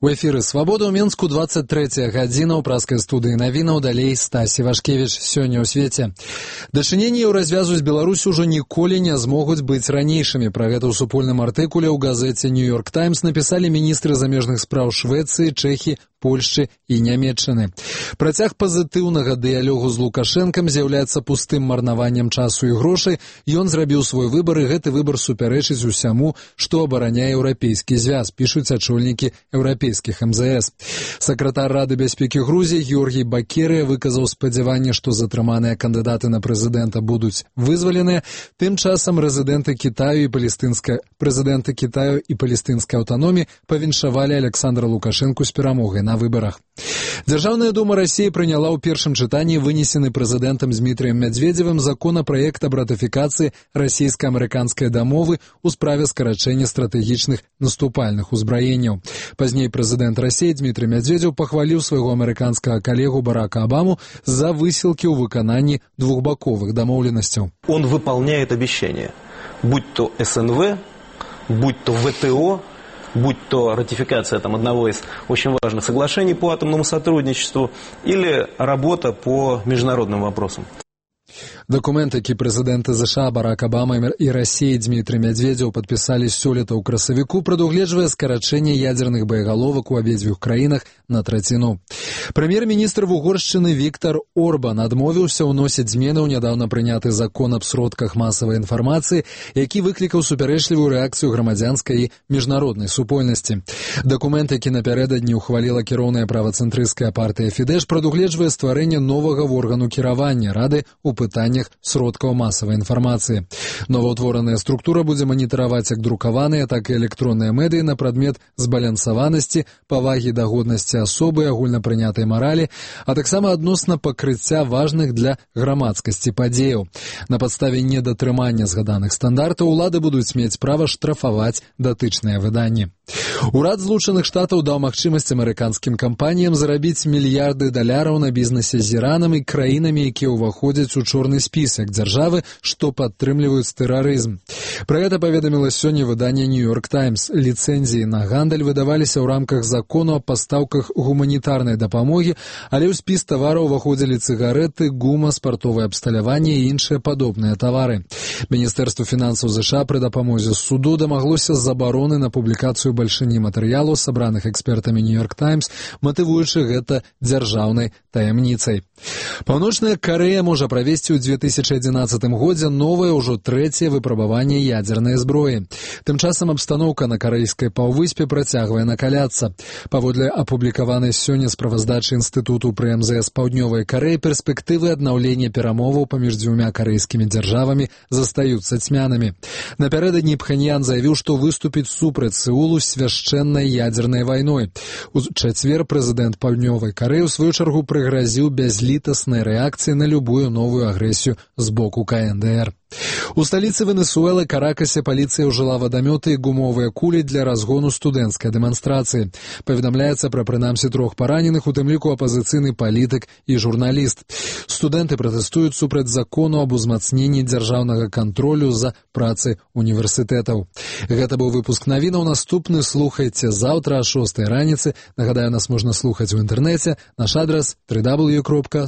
У эфіры «Свабода» ў Мінску 23 гадзіна ў праскай студыі навінаў, далей Стасі Вашкевіч. Сёння ў свеце. Дачыненні развязу з Беларусю ўжо ніколі не змогуць быць ранейшымі. Пра гэта ў супольным артыкуле ў газеце «Нью-Йорк Таймс» напісалі міністры замежных спраў Швецыі, Чэхіі, Польшчы і Нямецчыны. Працяг пазітыўнага дыялогу з Лукашэнкам з'яўляецца пустым марнаваннем часу і грошай. Ён зрабіў свой выбар, і гэты выбар супярэчыць усяму, што абараняе еўрапейскі звяз, пішуць ачольнікі еўрапейскіх МЗС. Сакратар Рады бяспекі Грузіі Георгій Бакерыя выказаў спадзяванне, што затрыманыя кандыдаты на прэзідэнта будуць вызваленыя. Тым часам прэзідэнты Кітаю і палестынскай аўтаноміі павіншавалі Александра Лукашэнку з перамогай на выбарах. Дзяржаўная дума Расіі прыняла ў першым чытанні вынесены прэзідэнтам Дмітрыем Мядзведзевым законапраект аб ратыфікацыі расійска-амерыканскай дамовы ў справе скарачэння стратэгічных наступальных узбраенняў. Пазней прэзідэнт Расіі Дмітрый Мядзведзеў пахваліў свайго амерыканскага калегу Барака Обаму за высілкі ў выкананні двухбаковых дамоўленасцяў. Он выполняет обещания, будь то СНВ, будь то ВТО, будь то ратификация одного из очень важных соглашений по атомному сотрудничеству или работа по международным вопросам. Дакумент, які прэзідэнты ЗША Барак Обама і Расіі Дмітрый Мядзведзеў падпісалі сёлета ў красавіку, прадугледжвае скарачэнне ядзерных боегаловак у абедзвюх краінах на траціну. Прэм'ер-міністр Угоршчыны Віктар Орбан адмовіўся ўносіць змены ў нядаўна прыняты закон аб сродках масавай інфармацыі, які выклікаў супярэчлівую рэакцыю грамадзянскай і міжнароднай супольнасці. Дакумент, які напярэдадні ўхваліла кіроўная правацэнтрысцкая партыя Фідэш, прадугледжвае стварэнне новага органу кіравання Рады ў пытаннях сродкаў масавай інфармацыі. Новаўтвораная структура будзе маніtaраваць як друкаваныя, так і электронныя медыі на прадмет збалансаванасці, павагі да годнасці асобы, агульнапрынятай маралі, а таксама адносна пакрыцця важных для грамадскасці падзеяў. На падставе недатрымання згаданых стандартаў улады будуць мець права штрафаваць датычныя выданні. Урад Злучаных Штатаў даў магчымасць амерыканскім кампаніям зарабіць мільярды даляраў на бізнесе з Іранам і краінамі, якія ўваходзяць у чорны спісак дзяржавы, што падтрымліваюць тэрарызм. Пра гэта паведаміла сёння выданне «Нью-Йорк Таймс». Ліцэнзіі на гандаль выдаваліся ў рамках закону аб пастаўках гуманітарнай дапамогі, але ў спіс тавараў уваходзілі цыгарэты, гума, спартовае абсталяванне і іншыя падобныя тавары. Міністэрства фінансаў ЗША пры дапамозе суду дамаглося забароны на публікацыю бальшыні матэрыялаў, сабраных экспертамі «Нью-Йорк Таймс», матывуючы гэта дзяржаўнай таямніцай. Паўночная Карэя можа правесці ў 2011 годзе новае, ўжо трэцяе выпрабаванне ядзернай зброі. Тым часам абстаноўка на карэйскай паўвыспе працягвае накаляцца. Паводле апублікаванай сёння справаздачы інстытуту пры МЗС Паўднёвай Карэі, перспектывы аднаўлення перамоваў паміж дзвюма карэйскімі дзяржавамі застаюцца цьмянымі. Напярэдадні Пхеньян заявіў, што выступіць супраць Сеулу свяшчэннай ядзернай вайной. У чацвер прэзідэнт Паўднёвай Карэі ў сваю чаргу прыгразіў бязлітаснай рэакцыі на любую новую агрэсію з боку КНДР. У сталіцы Венесуэлы Каракасе паліцыя ўжыла вадамёты і гумовыя кулі для разгону студэнцкай дэманстрацыі. Паведамляецца пра прынамсі 3 параненых, у тым ліку апазіцыйны палітык і журналіст. Студэнты пратэстуюць супраць закону аб узмацненні дзяржаўнага кантролю за працай універсітэтаў. Гэта быў выпуск навінаў. Наступны слухайце заўтра о 6 раніцы. Нагадаю, нас можна слухаць у інтэрнэце. Наш адрас www.swabod.org.